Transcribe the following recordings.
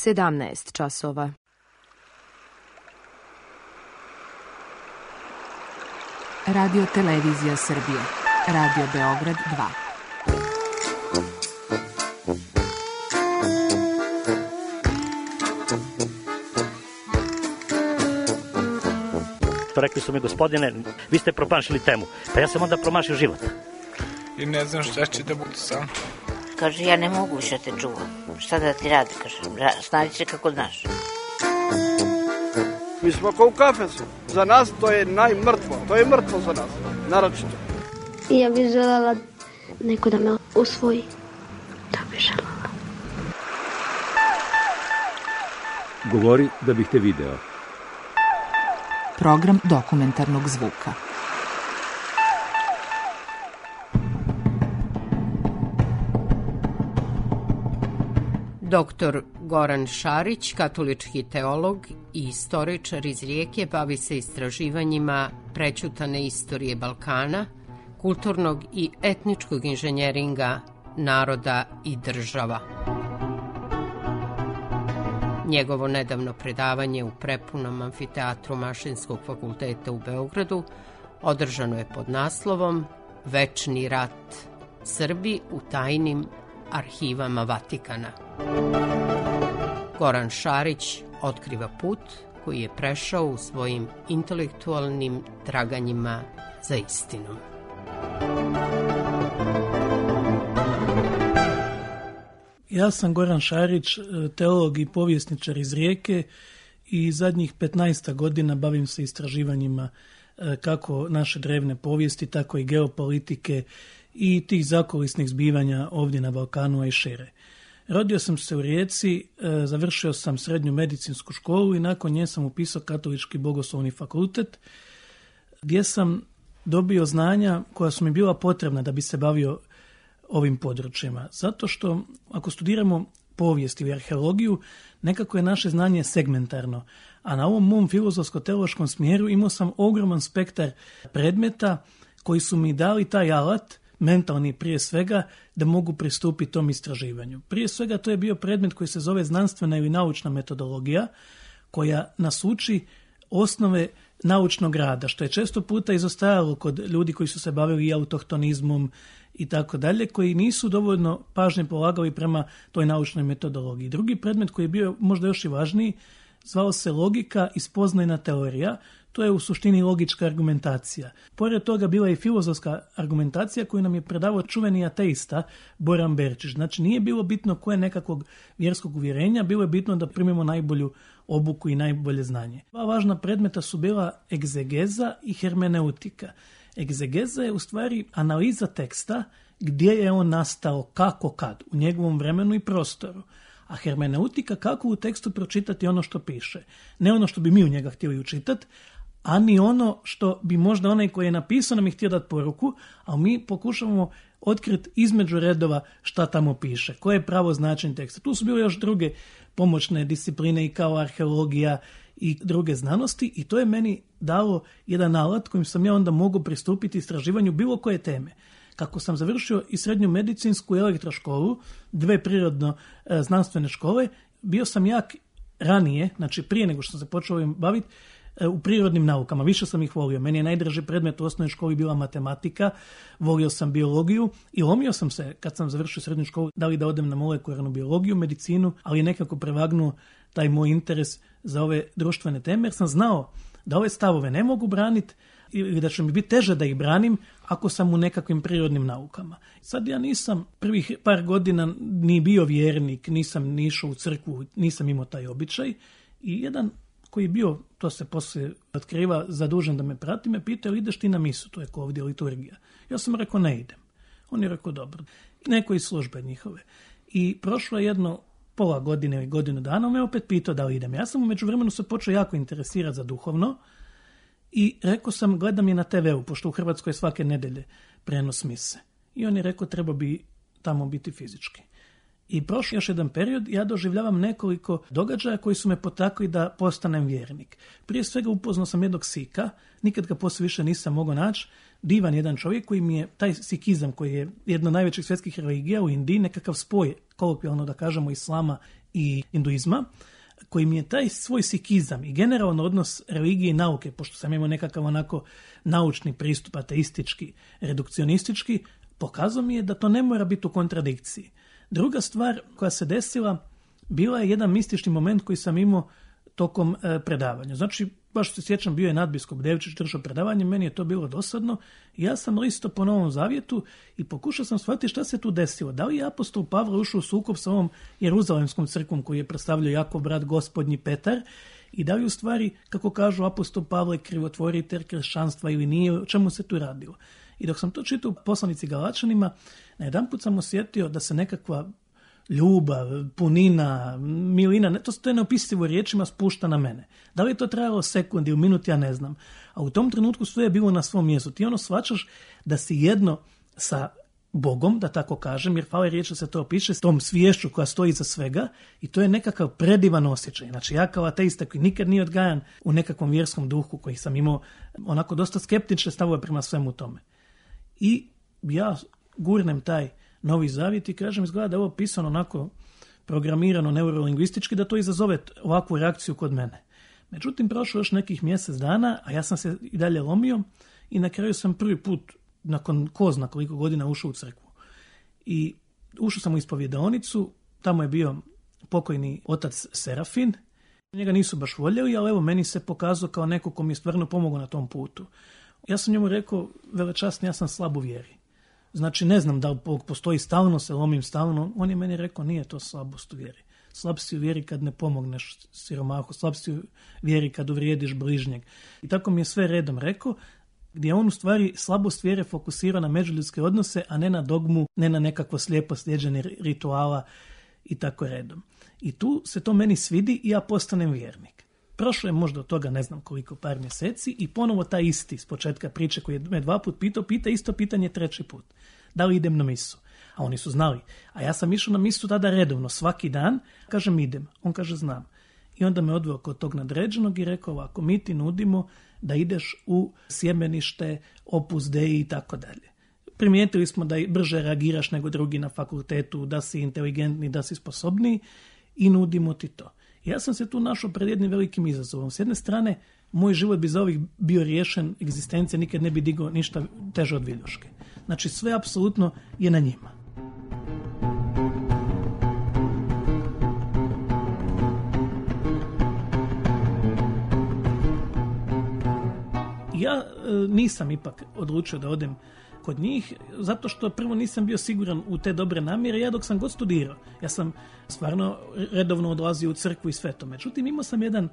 17 časova. Radio Televizija Srbije. Radio Beograd 2. Rekli su mi, gospodine, vi ste promašili temu. Pa ja sam onda promašio život. I ne znam šta će da bude sam. Kaže, ja ne mogu više te čuvam. Šta da ti radi, kaže, snađi se kako znaš. Mi smo kao u kafesu. Za nas to je najmrtvo. To je mrtvo za nas, naročito. Ja bih željela neko da me usvoji. Da bih željela. Govori da bih te video. Program dokumentarnog zvuka. Doktor Goran Šarić, katolički teolog i istoričar iz Rijeke, bavi se istraživanjima prećutane istorije Balkana, kulturnog i etničkog inženjeringa naroda i država. Njegovo nedavno predavanje u prepunom amfiteatru Mašinskog fakulteta u Beogradu održano je pod naslovom Večni rat. Srbi u tajnim arhivama Vatikana. Goran Šarić otkriva put koji je prešao u svojim intelektualnim traganjima za istinom. Ja sam Goran Šarić, teolog i povjesničar iz Rijeke i zadnjih 15 godina bavim se istraživanjima kako naše drevne povijesti, tako i geopolitike i tih zakulisnih zbivanja ovdje na Balkanu, a i šire. Rodio sam se u Rijeci, završio sam srednju medicinsku školu i nakon nje sam upisao Katolički bogoslovni fakultet, gdje sam dobio znanja koja su mi bila potrebna da bi se bavio ovim područjima. Zato što ako studiramo povijest ili arheologiju, nekako je naše znanje segmentarno. A na ovom mom filozofsko-teološkom smjeru imao sam ogroman spektar predmeta koji su mi dali taj alat, mentalni prije svega, da mogu pristupiti tom istraživanju. Prije svega to je bio predmet koji se zove znanstvena ili naučna metodologija, koja nas uči osnove naučnog rada, što je često puta izostajalo kod ljudi koji su se bavili i autohtonizmom i tako dalje, koji nisu dovoljno pažnje polagali prema toj naučnoj metodologiji. Drugi predmet koji je bio možda još i važniji, zvao se logika i spoznajna teorija. To je u suštini logička argumentacija. Pored toga bila je i filozofska argumentacija koju nam je predavao čuveni ateista Boran Berčić. Znači nije bilo bitno koje nekakvog vjerskog uvjerenja, bilo je bitno da primimo najbolju obuku i najbolje znanje. Dva važna predmeta su bila egzegeza i hermeneutika. Egzegeza je u stvari analiza teksta, gdje je on nastao, kako, kad, u njegovom vremenu i prostoru. A hermeneutika kako u tekstu pročitati ono što piše. Ne ono što bi mi u njega htjeli učitati, a ni ono što bi možda onaj koji je napisao nam je htio dati poruku, a mi pokušavamo otkriti između redova šta tamo piše, koje je pravo značenje teksta. Tu su bile još druge pomoćne discipline i kao arheologija i druge znanosti i to je meni dalo jedan alat kojim sam ja onda mogao pristupiti istraživanju bilo koje teme. Kako sam završio i srednju medicinsku i elektroškolu, dve prirodno znanstvene škole, bio sam jak ranije, znači prije nego što sam se počeo ovim baviti, u prirodnim naukama. Više sam ih volio. Meni je najdraži predmet u osnovnoj školi bila matematika, volio sam biologiju i lomio sam se kad sam završio srednju školu da li da odem na molekularnu biologiju, medicinu, ali je nekako prevagnuo taj moj interes za ove društvene teme, jer sam znao da ove stavove ne mogu braniti ili da će mi biti teže da ih branim ako sam u nekakvim prirodnim naukama. Sad ja nisam prvih par godina ni bio vjernik, nisam ni išao u crkvu, nisam imao taj običaj i jedan koji je bio, to se poslije otkriva, zadužen da me prati, me pitao, ili ideš ti na misu, to je kao ovdje liturgija. Ja sam rekao, ne idem. On je rekao, dobro. I neko iz službe njihove. I prošlo je jedno pola godine ili godinu dana, on me opet pitao da li idem. Ja sam u međuvremenu se počeo jako interesirati za duhovno i rekao sam, gledam je na TV-u, pošto u Hrvatskoj je svake nedelje prenos mise. I on je rekao, treba bi tamo biti fizički. I prošao još jedan period, ja doživljavam nekoliko događaja koji su me potakli da postanem vjernik. Prije svega upoznao sam jednog Sika, nikad ga poslije više nisam mogao naći, divan jedan čovjek koji mi je, taj sikizam koji je jedna od najvećih svjetskih religija u Indiji, nekakav spoj, kolokvijalno da kažemo, islama i hinduizma, koji mi je taj svoj sikizam i generalan odnos religije i nauke, pošto sam imao nekakav onako naučni pristup, ateistički, redukcionistički, pokazao mi je da to ne mora biti u kontradikciji. Druga stvar koja se desila, bila je jedan mistični moment koji sam imao tokom predavanja. Znači, baš se sjećam, bio je nadbiskup Devčić držao predavanje, meni je to bilo dosadno i ja sam listao po Novom Zavjetu i pokušao sam shvatiti šta se tu desilo. Da li je apostol Pavle ušao u sukob sa ovom Jeruzalemskom crkvom koju je predstavljao Jakov brat gospodnji Petar i da li u stvari, kako kažu apostol Pavle, krivotvoritelj kršćanstva ili nije, o čemu se tu radilo. I dok sam to čitao u poslanici Galačanima, na jedanput sam osjetio da se nekakva ljubav, punina, milina, to je neopisivo riječima spušta na mene. Da li je to trajalo sekundi ili minut, ja ne znam. A u tom trenutku sve je bilo na svom mjestu. Ti shvaćaš da si jedno sa Bogom, da tako kažem, jer fale riječ da se to opiše, s tom sviješću koja stoji iza svega i to je nekakav predivan osjećaj. Znači ja kao ateista koji nikad nije odgajan u nekakvom vjerskom duhu koji sam imao onako dosta skeptične stavove prema svemu tome. I ja gurnem taj Novi Zavjet i kažem, izgleda da je ovo pisano onako programirano neurolingvistički, da to izazove ovakvu reakciju kod mene. Međutim, prošlo još nekih mjesec dana, a ja sam se i dalje lomio i na kraju sam prvi put, nakon ko zna koliko godina, ušao u crkvu. I ušao sam u ispovjedaonicu, tamo je bio pokojni otac Serafin. Njega nisu baš voljeli, ali evo, meni se pokazao kao neko ko mi je stvarno pomogao na tom putu. Ja sam njemu rekao, velečasni, ja sam slab u vjeri. Znači, ne znam da li postoji stalno, se lomim stalno. On je meni rekao, nije to slabost u vjeri. Slab si u vjeri kad ne pomogneš siromahu, slab si u vjeri kad uvrijediš bližnjeg. I tako mi je sve redom rekao, gdje on u stvari slabost vjere fokusira na međuljudske odnose, a ne na dogmu, ne na nekakvo slijepo slijeđenje rituala i tako redom. I tu se to meni svidi i ja postanem vjernik. Prošlo je možda od toga ne znam koliko, par mjeseci i ponovo taj isti s početka priče koji je me 2 puta pitao, pita isto pitanje 3. put. Da li idem na misu? A oni su znali. A ja sam išao na misu tada redovno, svaki dan. Kažem idem. On kaže znam. I onda me odveo kod tog nadređenog i rekao ovako, mi ti nudimo da ideš u sjemenište, Opus Dei i tako dalje. Primijetili smo da brže reagiraš nego drugi na fakultetu, da si inteligentni, da si sposobniji i nudimo ti to. Ja sam se tu našao pred jednim velikim izazovom. S jedne strane, moj život bi za ovih bio riješen, egzistencija nikad ne bi digao ništa teže od viljuške. Znači, sve apsolutno je na njima. Ja nisam ipak odlučio da odem kod njih, zato što prvo nisam bio siguran u te dobre namjere. Ja dok sam god studirao, ja sam stvarno redovno odlazio u crkvu i sve to. Međutim, imao sam jedan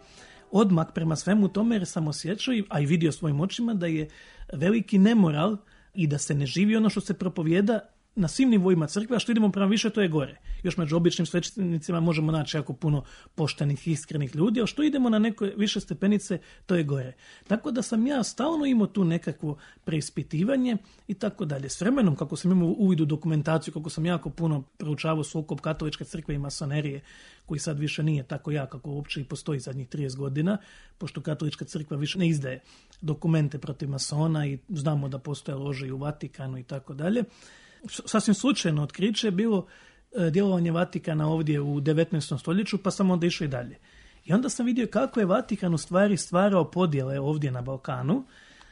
odmak prema svemu tome jer sam osjećao, a i vidio svojim očima, da je veliki nemoral i da se ne živi ono što se propovijeda na svim nivoima crkve, a što idemo prema više, to je gore. Još među običnim svećenicima možemo naći jako puno poštenih, iskrenih ljudi, ali što idemo na neke više stepenice, to je gore. Tako da sam ja stalno imao tu nekakvo preispitivanje i tako dalje. S vremenom, kako sam imao uvid u dokumentaciju, kako sam jako puno proučavao sukob katoličke crkve i masonerije, koji sad više nije tako jak kako uopće i postoji zadnjih 30 godina, pošto katolička crkva više ne izdaje dokumente protiv masona i znamo da postoje lože i u Vatikanu i tako dalje. Sasvim slučajno otkriće je bilo djelovanje Vatikana ovdje u 19. stoljeću, pa sam onda išao i dalje. I onda sam vidio kako je Vatikan u stvari stvarao podjele ovdje na Balkanu,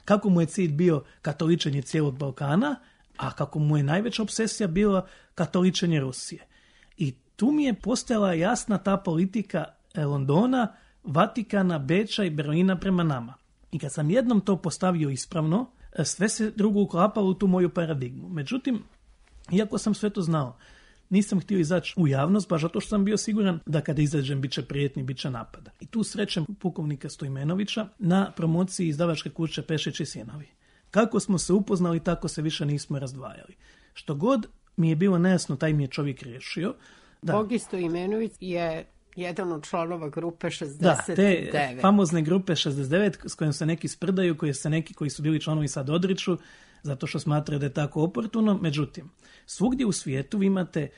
kako mu je cilj bio katoličenje cijelog Balkana, a kako mu je najveća obsesija bila katoličenje Rusije. I tu mi je postojala jasna ta politika Londona, Vatikana, Beča i Berlina prema nama. I kad sam jednom to postavio ispravno, sve se drugo uklapalo u tu moju paradigmu. Međutim, iako sam sve to znao, nisam htio izaći u javnost, baš zato što sam bio siguran da kada izađem bit će prijetni, bit će napada. I tu srećem pukovnika Stojmenovića na promociji izdavačke kuće Pešić i Sinovi. Kako smo se upoznali, tako se više nismo razdvajali. Što god mi je bilo nejasno, taj mi je čovjek riješio. Bogi Stojmenović je jedan od članova grupe 69. Da, te famozne grupe 69 s kojom se neki sprdaju, koji su bili članovi sad odriču, zato što smatraju da je tako oportuno. Međutim, svugdje u svijetu vi imate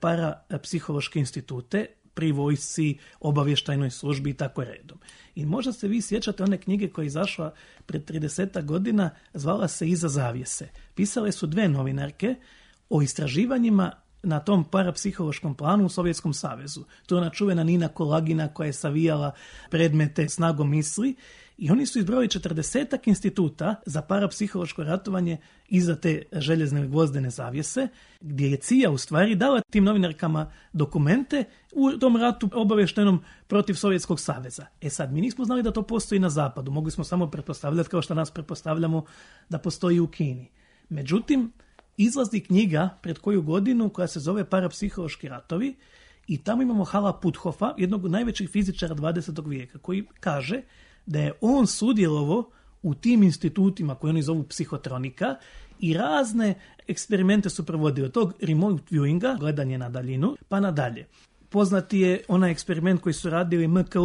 parapsihološke institute, pri vojsci, obavještajnoj službi i tako redom. I možda se vi sjećate one knjige koja je izašla pred 30 godina, zvala se Iza zavjese. Pisale su 2 novinarke o istraživanjima na tom parapsihološkom planu u Sovjetskom savezu. To je ona čuvena Nina Kolagina koja je savijala predmete snagom misli i oni su izbrojili 40 instituta za parapsihološko ratovanje iza te željezne gvozdene zavjese, gdje je CIA u stvari dala tim novinarkama dokumente u tom ratu obavještenom protiv Sovjetskog saveza. Sad, mi nismo znali da to postoji na zapadu, mogli smo samo pretpostavljati kao što nas pretpostavljamo da postoji u Kini. Međutim, izlazi knjiga pred koju godinu koja se zove Parapsihološki ratovi i tamo imamo Hala Puthofa, jednog od najvećih fizičara 20. vijeka, koji kaže da je on sudjelovao u tim institutima koje oni zovu psihotronika i razne eksperimente su provodili od tog remote viewinga, gledanje na daljinu, pa nadalje. Poznati je onaj eksperiment koji su radili MK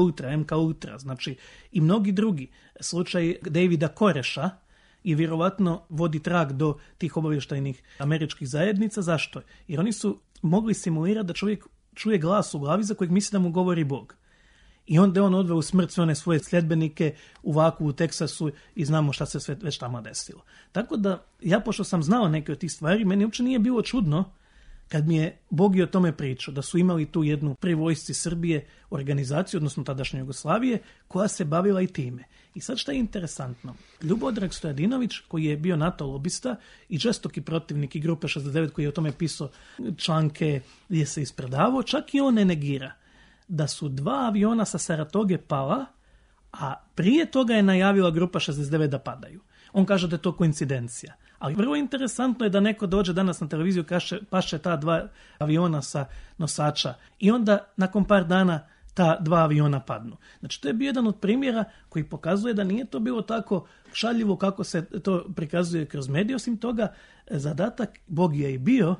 Ultra, znači i mnogi drugi. Slučaj Davida Koreša i vjerovatno vodi trag do tih obavještajnih američkih zajednica. Zašto? Jer oni su mogli simulirati da čovjek čuje glas u glavi za kojeg misli da mu govori Bog. I onda je on odveo u smrt sve one svoje sljedbenike u Vaku, u Teksasu i znamo šta se sve već tamo desilo. Tako da, ja pošto sam znao neke od tih stvari, meni uopće nije bilo čudno kad mi je Bogi o tome pričao, da su imali tu jednu pri vojsci Srbije organizaciju, odnosno tadašnje Jugoslavije, koja se bavila i time. I sad šta je interesantno? Ljubodrag Stojadinović, koji je bio NATO lobista i žestoki protivnik i Grupe 69, koji je o tome pisao članke gdje se ispredavao, čak i on ne negira da su 2 aviona sa Saratoge pala, a prije toga je najavila Grupa 69 da padaju. On kaže da je to koincidencija. Ali vrlo interesantno je da neko dođe danas na televiziju, kaže paše ta 2 aviona sa nosača i onda nakon par dana ta 2 aviona padnu. Znači to je bio jedan od primjera koji pokazuje da nije to bilo tako šaljivo kako se to prikazuje kroz medije. Osim toga, zadatak Bogija je bio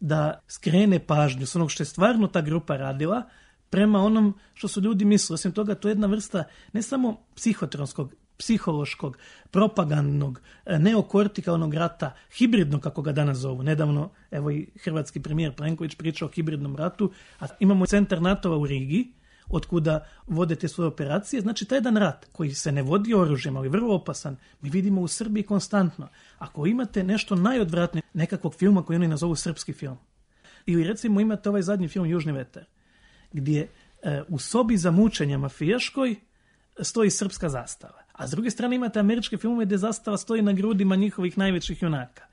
da skrene pažnju s onog što je stvarno ta grupa radila prema onom što su ljudi mislili. Osim toga, to je jedna vrsta ne samo psihotronskog, psihološkog, propagandnog, neokortikalnog rata, hibridnog, kako ga danas zovu. Nedavno, evo i hrvatski premijer Plenković pričao o hibridnom ratu, a imamo centar NATO-a u Rigi, otkuda vode te svoje operacije. Znači, taj jedan rat koji se ne vodi oružjem, ali vrlo opasan, mi vidimo u Srbiji konstantno. Ako imate nešto najodvratnije nekakvog filma koji oni nazovu srpski film, ili recimo imate ovaj zadnji film Južni vetar, gdje u sobi za mučenje mafijaškoj stoji srpska zastava. A s druge strane imate američke filmove gdje zastava stoji na grudima njihovih najvećih junaka.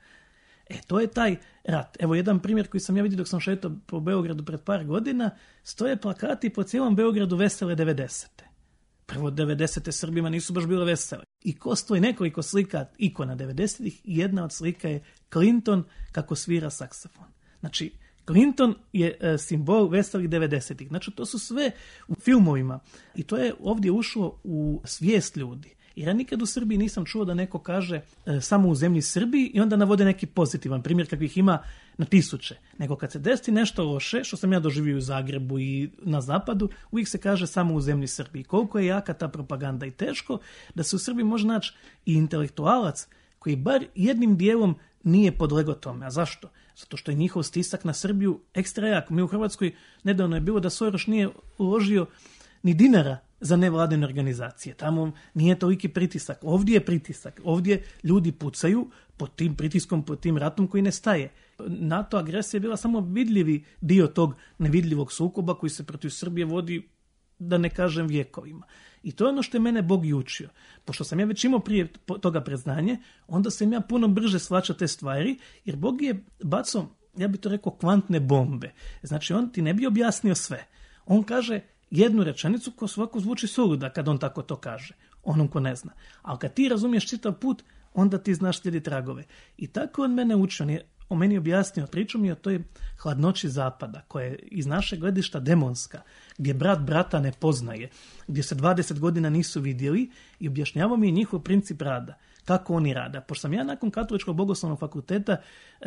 To je taj rat. Evo jedan primjer koji sam ja vidio dok sam šetao po Beogradu pred par godina, stoje plakati po cijelom Beogradu vesele 90. Prvo 90. Srbima nisu baš bile vesele. I ko stoji nekoliko slika ikona 90-ih, jedna od slika je Clinton kako svira saksofon. Znači, Clinton je simbol veselih 90-ih. Znači, to su sve u filmovima. I to je ovdje ušlo u svijest ljudi. Jer ja nikad u Srbiji nisam čuo da neko kaže samo u zemlji Srbiji i onda navode neki pozitivan primjer kakvih ima na tisuće. Nego kad se desi nešto loše, što sam ja doživio u Zagrebu i na zapadu, uvijek se kaže samo u zemlji Srbiji. Koliko je jaka ta propaganda i teško da se u Srbiji može naći i intelektualac koji bar jednim dijelom nije podlegao tome. A zašto? Zato što je njihov stisak na Srbiju ekstra jak. Mi u Hrvatskoj nedavno je bilo da Soros nije uložio ni dinara za nevladine organizacije. Tamo nije toliki pritisak. Ovdje je pritisak. Ovdje ljudi pucaju pod tim pritiskom, pod tim ratom koji ne staje. NATO agresija je bila samo vidljivi dio tog nevidljivog sukoba koji se protiv Srbije vodi, da ne kažem, vjekovima. I to je ono što je mene Bog i učio. Pošto sam ja već imao prije toga predznanje, onda sam ja puno brže shvaćao te stvari, jer Bog je bacao, ja bih to rekao, kvantne bombe. Znači, on ti ne bi objasnio sve. On kaže jednu rečenicu ko svako zvuči suluda kad on tako to kaže, onom ko ne zna. Ali kad ti razumiješ čitav put, onda ti znaš slijedi tragove. I tako on mene učio, on je o meni objasnio, pričao mi o toj hladnoći zapada, koja je iz našeg gledišta demonska, gdje brat brata ne poznaje, gdje se 20 godina nisu vidjeli, i objašnjavao mi je njihov princip rada, kako oni rada. Pošto sam ja nakon Katoličkog bogoslovnog fakulteta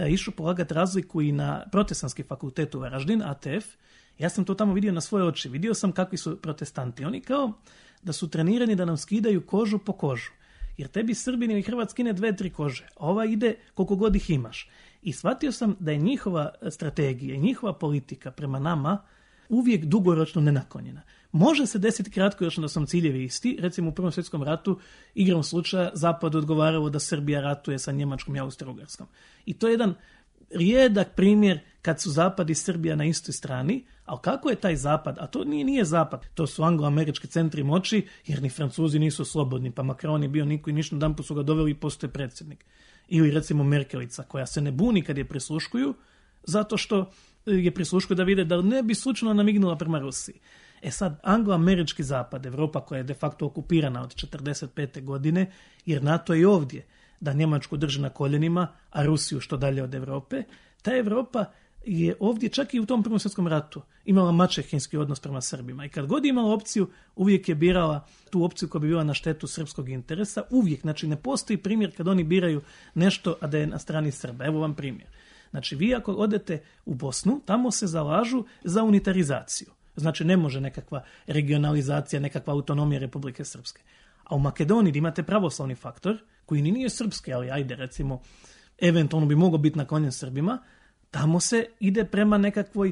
išao polagati razliku i na Protestantski fakultet u Varaždin, ATF, ja sam to tamo vidio na svoje oči. Vidio sam kakvi su protestanti. Oni kao da su trenirani da nam skidaju kožu po kožu. Jer tebi Srbin ili Hrvat skine 2-3 kože. Ova ide koliko god ih imaš. I shvatio sam da je njihova strategija i njihova politika prema nama uvijek dugoročno nenaklonjena. Može se desiti kratkoročno da su ciljevi isti. Recimo u Prvom svjetskom ratu igrom slučaja Zapadu odgovaralo da Srbija ratuje sa Njemačkom i Austro-Ugarskom. I to je jedan rijedak primjer kad su Zapad i Srbija na istoj strani, ali kako je taj Zapad, a to nije Zapad, to su anglo-američki centri moći, jer ni Francuzi nisu slobodni, pa Macron je bio niko i ništa, jedan put su ga doveli i postoje predsjednik. Ili recimo Merkelica, koja se ne buni kad je prisluškuju, zato što je prisluškuju da vide da ne bi slučajno namignula prema Rusiji. Sad, anglo-američki Zapad, Evropa koja je de facto okupirana od 1945. godine, jer NATO je ovdje, da Njemačku drži na koljenima, a Rusiju što dalje od Evrope, ta Evropa je ovdje čak i u tom Prvom svjetskom ratu imala maćehinski odnos prema Srbima. I kad god je imala opciju, uvijek je birala tu opciju koja bi bila na štetu srpskog interesa. Uvijek, znači ne postoji primjer kad oni biraju nešto, a da je na strani Srba. Evo vam primjer. Znači vi ako odete u Bosnu, tamo se zalažu za unitarizaciju. Znači ne može nekakva regionalizacija, nekakva autonomija Republike Srpske. A u Makedoniji gdje imate pravoslavni faktor, koji ni nije srpski, ali ajde recimo, eventualno bi mogao biti naklonjen Srbima, tamo se ide prema nekakvoj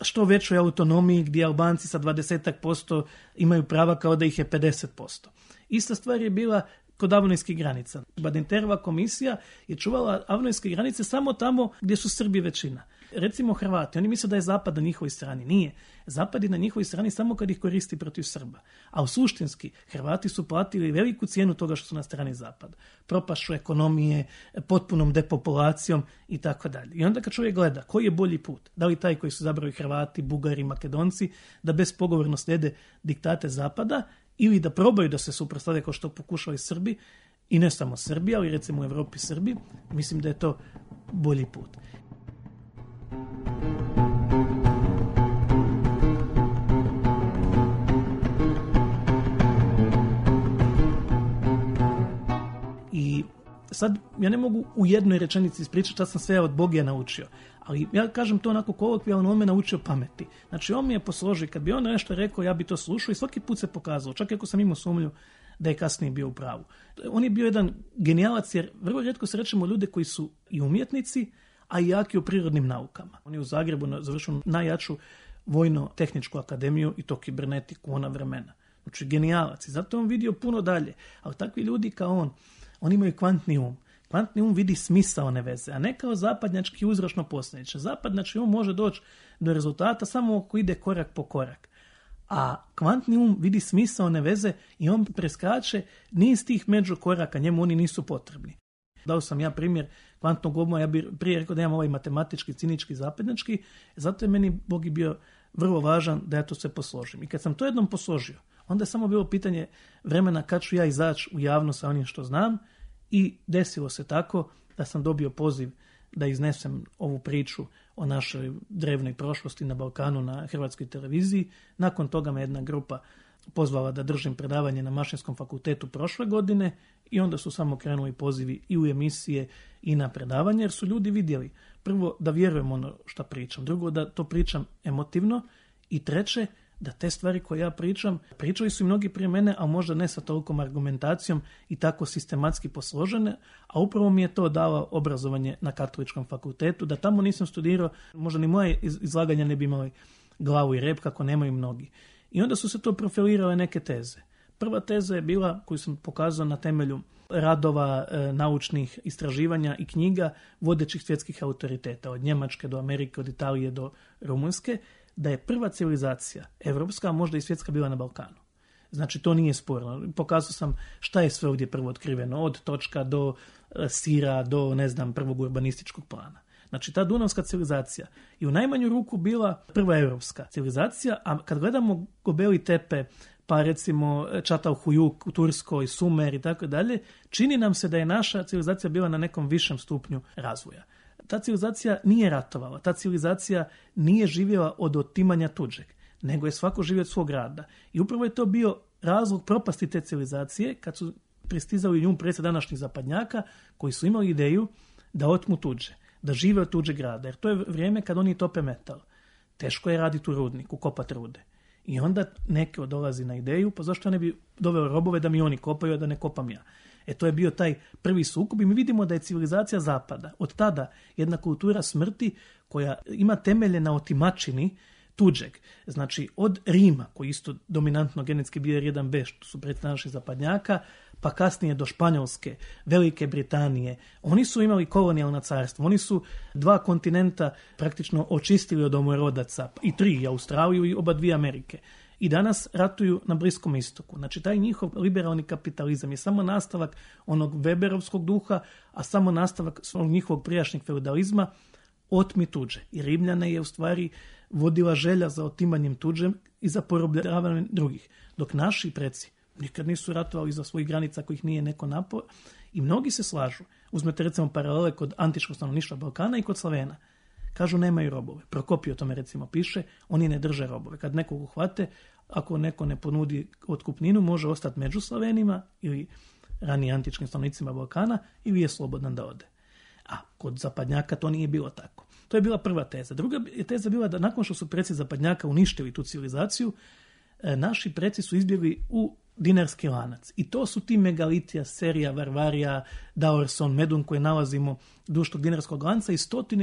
što većoj autonomiji gdje Albanci sa 20% imaju prava kao da ih je 50%. Ista stvar je bila kod avnojskih granica. Badinterova komisija je čuvala avnojske granice samo tamo gdje su Srbi većina. Recimo Hrvati, oni misle da je Zapad na njihovoj strani. Nije. Zapad je na njihovoj strani samo kad ih koristi protiv Srba. A u suštinski, Hrvati su platili veliku cijenu toga što su na strani Zapada. Propašću ekonomije, potpunom depopulacijom i tako dalje. I onda kad čovjek gleda koji je bolji put, da li taj koji su zabrali Hrvati, Bugari, Makedonci, da bespogovorno slijede diktate Zapada ili da probaju da se suprotstave kao što pokušali Srbi, i ne samo Srbi, ali recimo u Evropi Srbi, mislim da je to bolji put. I sad ja ne mogu u jednoj rečenici ispričati šta sam sve od Bogija naučio, ali ja kažem to onako kolokvijalno, on me naučio pameti. Znači on mi je posložio, kad bi on nešto rekao, ja bi to slušao i svaki put se pokazalo, čak ako sam imao sumnju da je kasnije bio u pravu. On je bio jedan genijalac, jer vrlo rijetko srećemo ljude koji su i umjetnici, a i jaki u prirodnim naukama. On je u Zagrebu završio najjaču vojno-tehničku akademiju i to kibernetiku ona vremena. Znači genijalac i zato on vidio puno dalje. Ali takvi ljudi kao on imaju kvantni um. Kvantni um vidi smisaone veze, a ne kao zapadnjački uzročno posljedično. Zapadnjački um može doći do rezultata samo ako ide korak po korak. A kvantni um vidi smisaone veze i on preskače niz tih međukoraka, njemu oni nisu potrebni. Dao sam ja primjer kvantnog uma, ja bih prije rekao da imam ovaj matematički, cinički, zapadnjački, zato je meni Bogi bio vrlo važan da ja to sve posložim. I kad sam to jednom posložio, onda je samo bilo pitanje vremena kad ću ja izaći u javnost sa onim što znam i desilo se tako da sam dobio poziv da iznesem ovu priču o našoj drevnoj prošlosti na Balkanu na Hrvatskoj televiziji. Nakon toga me jedna grupa pozvala da držim predavanje na Mašinskom fakultetu prošle godine i onda su samo krenuli pozivi i u emisije i na predavanje, jer su ljudi vidjeli prvo da vjerujem ono što pričam, drugo da to pričam emotivno i treće da te stvari koje ja pričam, pričali su i mnogi prije mene, a možda ne sa tolikom argumentacijom i tako sistematski posložene, a upravo mi je to dalo obrazovanje na Katoličkom fakultetu, da tamo nisam studirao, možda ni moje izlaganja ne bi imali glavu i rep kako nemaju mnogi. I onda su se to profilirale neke teze. Prva teza je bila, koju sam pokazao na temelju radova, naučnih istraživanja i knjiga vodećih svjetskih autoriteta, od Njemačke do Amerike, od Italije do Rumunjske, da je prva civilizacija, evropska, a možda i svjetska, bila na Balkanu. Znači, to nije sporno. Pokazao sam šta je sve ovdje prvo otkriveno, od točka do sira, do, prvog urbanističkog plana. Znači, ta dunavska civilizacija je u najmanju ruku bila prva evropska civilizacija, a kad gledamo Gobeli Tepe, pa recimo Čatalhujuk u Turskoj, Sumer i tako dalje, čini nam se da je naša civilizacija bila na nekom višem stupnju razvoja. Ta civilizacija nije ratovala, ta civilizacija nije živjela od otimanja tuđeg, nego je svako živio od svog rada. I upravo je to bio razlog propasti te civilizacije kad su pristizali nju predsjed današnjih zapadnjaka koji su imali ideju da otmu tuđe, da žive od tuđeg rada, jer to je vrijeme kad oni tope metal. Teško je raditi u rudniku, kopati rude. I onda neko dolazi na ideju, pa zašto ne bi doveo robove da mi oni kopaju, a da ne kopam ja. To je bio taj prvi sukob i mi vidimo da je civilizacija zapada od tada jedna kultura smrti koja ima temelje na otimačini. tuđeg. Znači, od Rima, koji isto dominantno genetski bio jedan B, što su predstavnici naših zapadnjaka, pa kasnije do Španjolske, Velike Britanije. Oni su imali kolonijalna carstva. Oni su 2 kontinenta praktično očistili od domorodaca. I 3, Australiju i oba 2 Amerike. I danas ratuju na Bliskom istoku. Znači, taj njihov liberalni kapitalizam je samo nastavak onog Weberovskog duha, a samo nastavak njihovog prijašnjeg feudalizma, otmi tuđe. I Rimljane je u stvari vodila želja za otimanjem tuđem i za porobljavanjem drugih. Dok naši preci nikad nisu ratovali za svojih granica kojih nije neko napao. I mnogi se slažu. Uzmete recimo paralele kod antičkog stanovništva Balkana i kod Slavena. Kažu nemaju robove. Prokopije o tome recimo piše, oni ne drže robove. Kad nekog uhvate, ako neko ne ponudi otkupninu, može ostati među Slavenima ili ranije antičkim stanovnicima Balkana ili je slobodan da ode. A kod zapadnjaka to nije bilo tako. To je bila prva teza. Druga je teza bila da nakon što su preci zapadnjaka uništili tu civilizaciju, naši preci su izbjegli u dinarski lanac. I to su ti megalitija, Serija, Varvarija, Daorson, Medun koje nalazimo duž tog dinarskog lanca i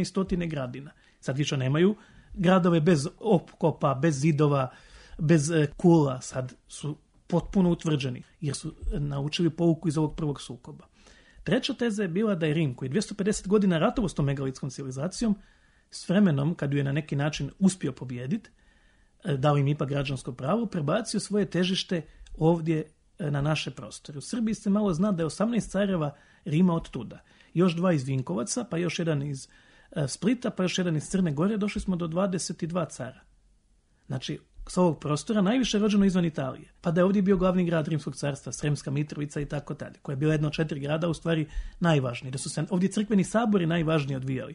stotine gradina. Sad više nemaju gradove bez opkopa, bez zidova, bez kula. Sad su potpuno utvrđeni jer su naučili pouku iz ovog prvog sukoba. Treća teza je bila da je Rim, koji 250 godina ratovao s tom megalitskom civilizacijom, s vremenom, kad ju je na neki način uspio pobijediti, dao im ipak građansko pravo, prebacio svoje težište ovdje na naše prostore. U Srbiji se malo zna da je 18 careva Rima od tuda. Još 2 iz Vinkovaca, pa još jedan iz Splita, pa još jedan iz Crne Gore, došli smo do 22 cara. Znači, s ovog prostora najviše rođeno izvan Italije. Pa da je ovdje bio glavni grad Rimskog carstva, Sremska Mitrovica i tako dalje, koja je bila jedna od 4 grada, u stvari najvažniji. Da su se ovdje crkveni sabori najvažniji odvijali.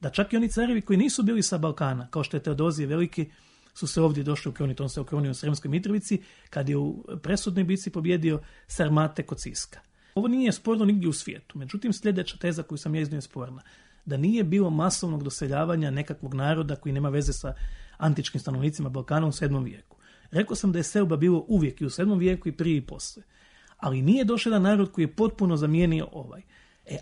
Da čak i oni carevi koji nisu bili sa Balkana, kao što je Teodozije Veliki, su se ovdje došli ukloniti. On se uklonio u Sremskoj Mitrovici kad je u presudnoj bici pobjedio Sarmate kod Siska. Ovo nije sporno nigdje u svijetu. Međutim, sljedeća teza koju sam ja iznio je sporna. Da nije bilo masovnog doseljavanja nekakvog naroda koji nema veze sa antičkim stanovnicima Balkana u 7. vijeku. Rekao sam da je selba bilo uvijek i u 7. vijeku i prije i poslije. Ali nije došao jedan narod koji je potpuno zamijenio ovaj.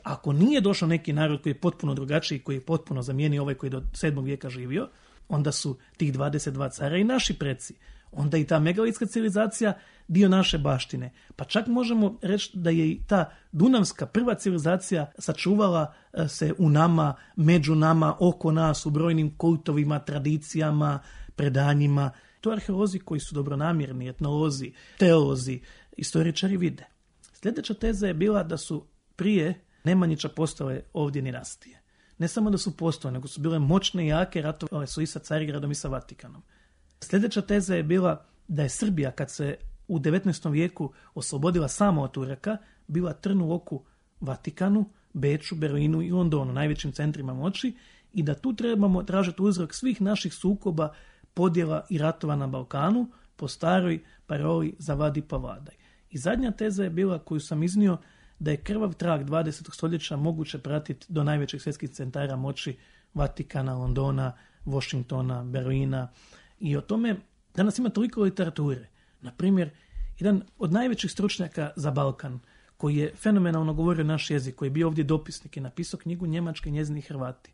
Ako nije došao neki narod koji je potpuno drugačiji, koji je potpuno zamijenio ovaj koji je do 7. vijeka živio, onda su tih 22 cara i naši preci. Onda i ta megalitska civilizacija dio naše baštine. Pa čak možemo reći da je i ta dunavska prva civilizacija sačuvala se u nama, među nama, oko nas, u brojnim kultovima, tradicijama, predanjima. To arheolozi koji su dobronamjerni, etnolozi, teolozi, istoričari vide. Sljedeća teza je bila da su prije Nemanjića postale ovdje dinastije. Ne samo da su postojale, nego su bile moćne i jake, ratovale su i sa Carigradom i sa Vatikanom. Sljedeća teza je bila da je Srbija, kad se u 19. vijeku oslobodila samo od Turaka, bila trn u oku Vatikanu, Beču, Berlinu i Londonu, najvećim centrima moći, i da tu trebamo tražiti uzrok svih naših sukoba, podjela i ratova na Balkanu po staroj paroli zavadi pa vladaj. I zadnja teza je bila, koju sam iznio, da je krvav trag 20. stoljeća moguće pratiti do najvećih svjetskih centara moći Vatikana, Londona, Washingtona, Berlina. I o tome danas ima toliko literature. Na primjer, jedan od najvećih stručnjaka za Balkan, koji je fenomenalno govorio naš jezik, koji je bio ovdje dopisnik, je napisao knjigu Njemački i njezini Hrvati,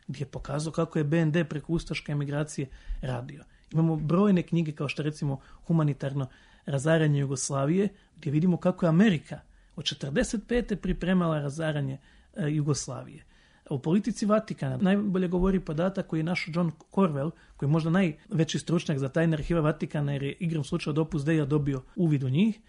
gdje je pokazao kako je BND preko ustaške emigracije radio. Imamo brojne knjige kao što recimo Humanitarno razaranje Jugoslavije, gdje vidimo kako je Amerika od 1945. pripremala razaranje Jugoslavije. U politici Vatikana najbolje govori podatak koji je naš John Corwell, koji je možda najveći stručnjak za tajne arhive Vatikana, jer je igrom slučaja od Opus Dei dobio uvid u njih,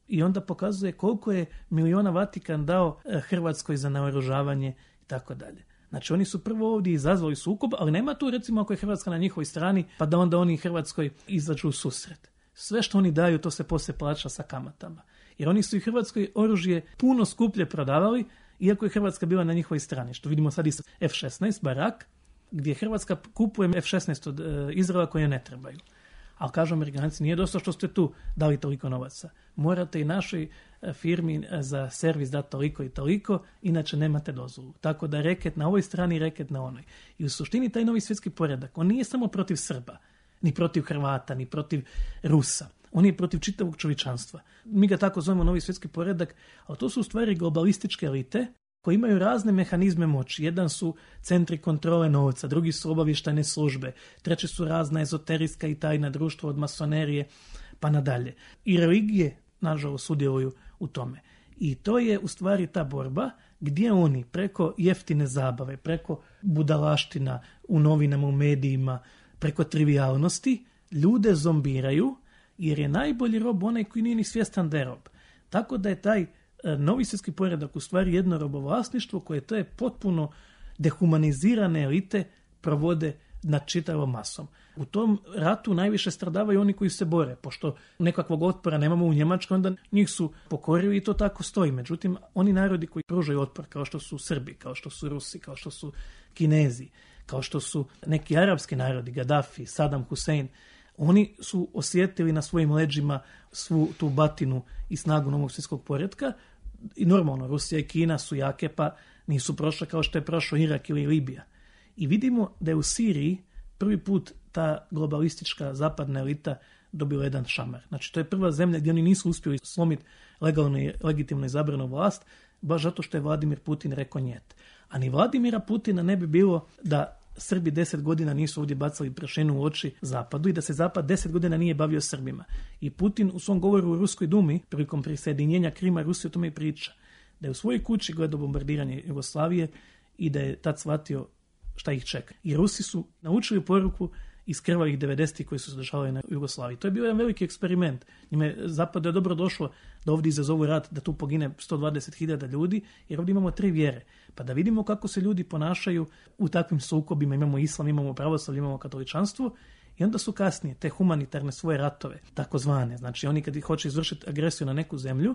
i onda pokazuje koliko je miliona Vatikan dao Hrvatskoj za naoružavanje i tako dalje. Znači oni su prvo ovdje izazvali sukob, ali nema tu recimo ako je Hrvatska na njihovoj strani, pa da onda oni Hrvatskoj izađu u susret. Sve što oni daju, to se poslije plaća sa kamatama. Jer oni su i Hrvatskoj oružje puno skuplje prodavali, iako je Hrvatska bila na njihovoj strani. Što vidimo sad i s F-16, Barak, gdje Hrvatska kupuje F-16 od Izraela koje ne trebaju. Ali kažu Amerikanci, nije dosta što ste tu dali toliko novaca. Morate i našoj firmi za servis dati toliko i toliko, inače nemate dozvolu. Tako da reket na ovoj strani, reket na onoj. I u suštini taj novi svjetski poredak, on nije samo protiv Srba, ni protiv Hrvata, ni protiv Rusa. On je protiv čitavog čovječanstva. Mi ga tako zovemo novi svjetski poredak, ali to su u stvari globalističke elite koji imaju razne mehanizme moći. Jedan su centri kontrole novca, drugi su obavještajne službe, treći su razna ezoterijska i tajna društva od masonerije pa nadalje. I religije, nažalost, sudjeluju u tome. I to je u stvari ta borba gdje oni preko jeftine zabave, preko budalaština u novinama, u medijima, preko trivialnosti, ljude zombiraju, jer je najbolji rob onaj koji nije ni svjestan da je rob. Tako da je taj novi svjetski poredak u stvari jedno robovlasništvo koje to je potpuno dehumanizirane elite provode nad čitavom masom. U tom ratu najviše stradavaju oni koji se bore, pošto nekakvog otpora nemamo u Njemačkoj, onda njih su pokorili i to tako stoji. Međutim, oni narodi koji pružaju otpor, kao što su Srbi, kao što su Rusi, kao što su Kinezi, kao što su neki arapski narodi, Gaddafi, Saddam Hussein, oni su osjetili na svojim leđima svu tu batinu i snagu novog svjetskog poretka. I normalno, Rusija i Kina su jake, pa nisu prošle kao što je prošao Irak ili Libija. I vidimo da je u Siriji prvi put ta globalistička zapadna elita dobila jedan šamar. Znači, to je prva zemlja gdje oni nisu uspjeli slomiti legalno i legitimno izabranu vlast, baš zato što je Vladimir Putin rekao njet. A ni Vladimira Putina ne bi bilo da Srbi 10 godina nisu ovdje bacali prašinu u oči Zapadu i da se Zapad 10 godina nije bavio Srbima. I Putin u svom govoru u Ruskoj dumi, prilikom prisjedinjenja Krima Rusije, o tome i priča. Da je u svojoj kući gledao bombardiranje Jugoslavije i da je tad shvatio šta ih čeka. I Rusi su naučili poruku iz krvavih 90-ih koji su se dešavali na Jugoslaviji. To je bio jedan veliki eksperiment. Njime Zapadu je dobro došlo da ovdje izazovu rat, da tu pogine 120.000 ljudi, jer ovdje imamo 3 vjere. Pa da vidimo kako se ljudi ponašaju u takvim sukobima. Imamo islam, imamo pravoslavlje, imamo katoličanstvo. I onda su kasnije te humanitarne svoje ratove, takozvane. Znači oni kad hoće izvršiti agresiju na neku zemlju,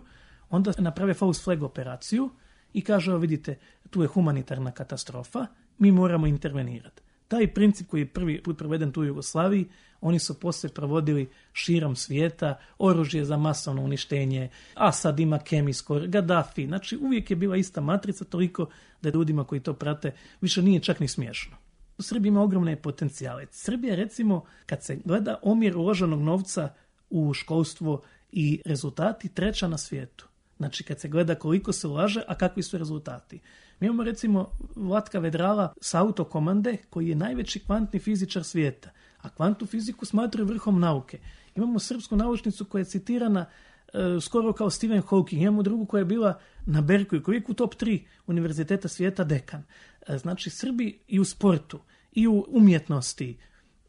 onda naprave false flag operaciju i kažu, vidite, tu je humanitarna katastrofa, mi moramo intervenirati. Taj princip koji je prvi put proveden tu u Jugoslaviji, oni su poslije provodili širom svijeta, oružje za masovno uništenje, Asad ima kemijsko, Gaddafi, znači uvijek je bila ista matrica, toliko da ljudima koji to prate više nije čak ni smiješno. Srbija ima ogromne potencijale. Srbija, recimo, kad se gleda omjer uloženog novca u školstvo i rezultati, 3. na svijetu. Znači, kad se gleda koliko se ulaže, a kakvi su rezultati. Mi imamo, recimo, Vlatka Vedrala sa autokomande, koji je najveći kvantni fizičar svijeta, a kvantnu fiziku smatraju vrhom nauke. Imamo srpsku naučnicu koja je citirana skoro kao Stephen Hawking. Imamo drugu koja je bila na Berkeley, koji je u top 3 univerziteta svijeta dekan. Znači, Srbi i u sportu, i u umjetnosti,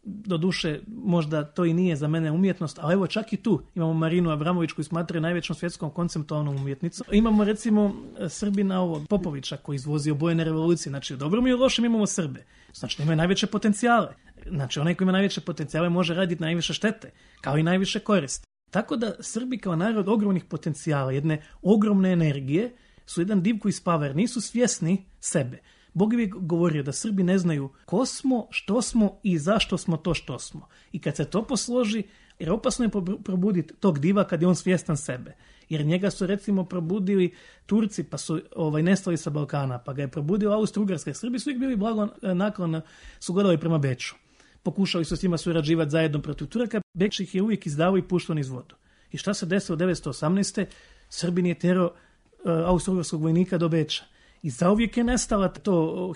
doduše, možda to i nije za mene umjetnost, ali evo čak i tu imamo Marinu Abramović koju smatraju najvećom svjetskom konceptualnom umjetnicom. Imamo recimo Srbina ovog Popovića koji izvozi obojene revolucije. Znači, u dobrom i u lošem imamo Srbe. Znači, imaju najveće potencijale. Znači, onaj koji ima najveće potencijale može raditi najviše štete, kao i najviše koristi. Tako da Srbi kao narod ogromnih potencijala, jedne ogromne energije, su jedan div koji spava jer nisu svjesni sebe. Bog je govorio da Srbi ne znaju ko smo, što smo i zašto smo to što smo. I kad se to posloži, jer opasno je probuditi tog diva kad je on svjestan sebe. Jer njega su recimo probudili Turci pa su nestali sa Balkana, pa ga je probudila Austro-Ugarska. Srbi su uvijek bili blago naklon, su gledali prema Beču. Pokušali su s njima surađivati zajedno protiv Turaka, Beč ih je uvijek izdavao i puštao niz vodu. I šta se desilo 1918. Srbin je terao Austro-Ugarskog vojnika do Beča. I zauvijek je nestala to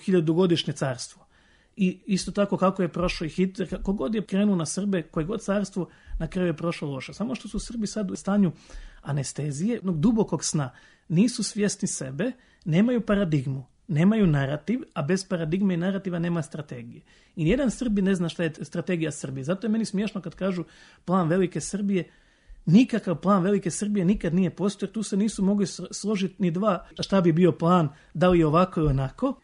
1000-godišnje carstvo. I isto tako kako je prošao i Hitler, kako god je krenuo na Srbe, koje god carstvo, na kraju je prošlo loše. Samo što su Srbi sad u stanju anestezije, jednog dubokog sna, nisu svjesni sebe, nemaju paradigmu, nemaju narativ, a bez paradigme i narativa nema strategije. I nijedan Srbi ne zna šta je strategija Srbije. Zato je meni smiješno kad kažu plan velike Srbije. Nikakav plan velike Srbije nikad nije postojao, tu se nisu mogli složiti ni dva šta bi bio plan, da li je ovako ili onako.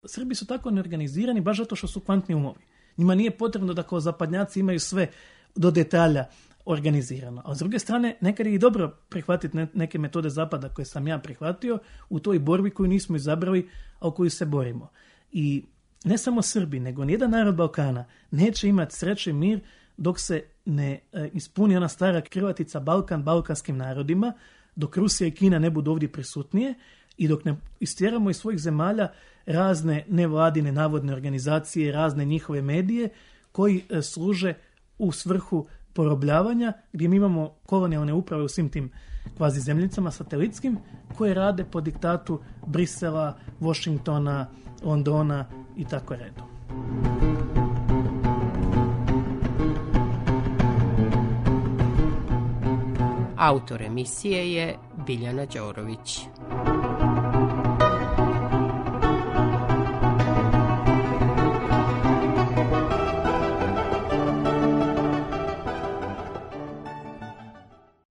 Srbi su tako neorganizirani baš zato što su kvantni umovi. Njima nije potrebno da kao zapadnjaci imaju sve do detalja organizirano. A s druge strane, nekad je i dobro prihvatiti neke metode zapada koje sam ja prihvatio u toj borbi koju nismo izabrali, a u koju se borimo. I ne samo Srbi, nego nijedan narod Balkana neće imati sreću i mir dok se ne ispuni ona stara krilatica Balkan balkanskim narodima, dok Rusija i Kina ne budu ovdje prisutnije i dok ne istjeramo iz svojih zemalja razne nevladine navodne organizacije, razne njihove medije koji služe u svrhu porobljavanja, gdje mi imamo kolonijalne uprave u svim tim kvazi zemljicama satelitskim, koje rade po diktatu Brisela, Washingtona, Londona i tako redom. Autor emisije je Biljana Đorović.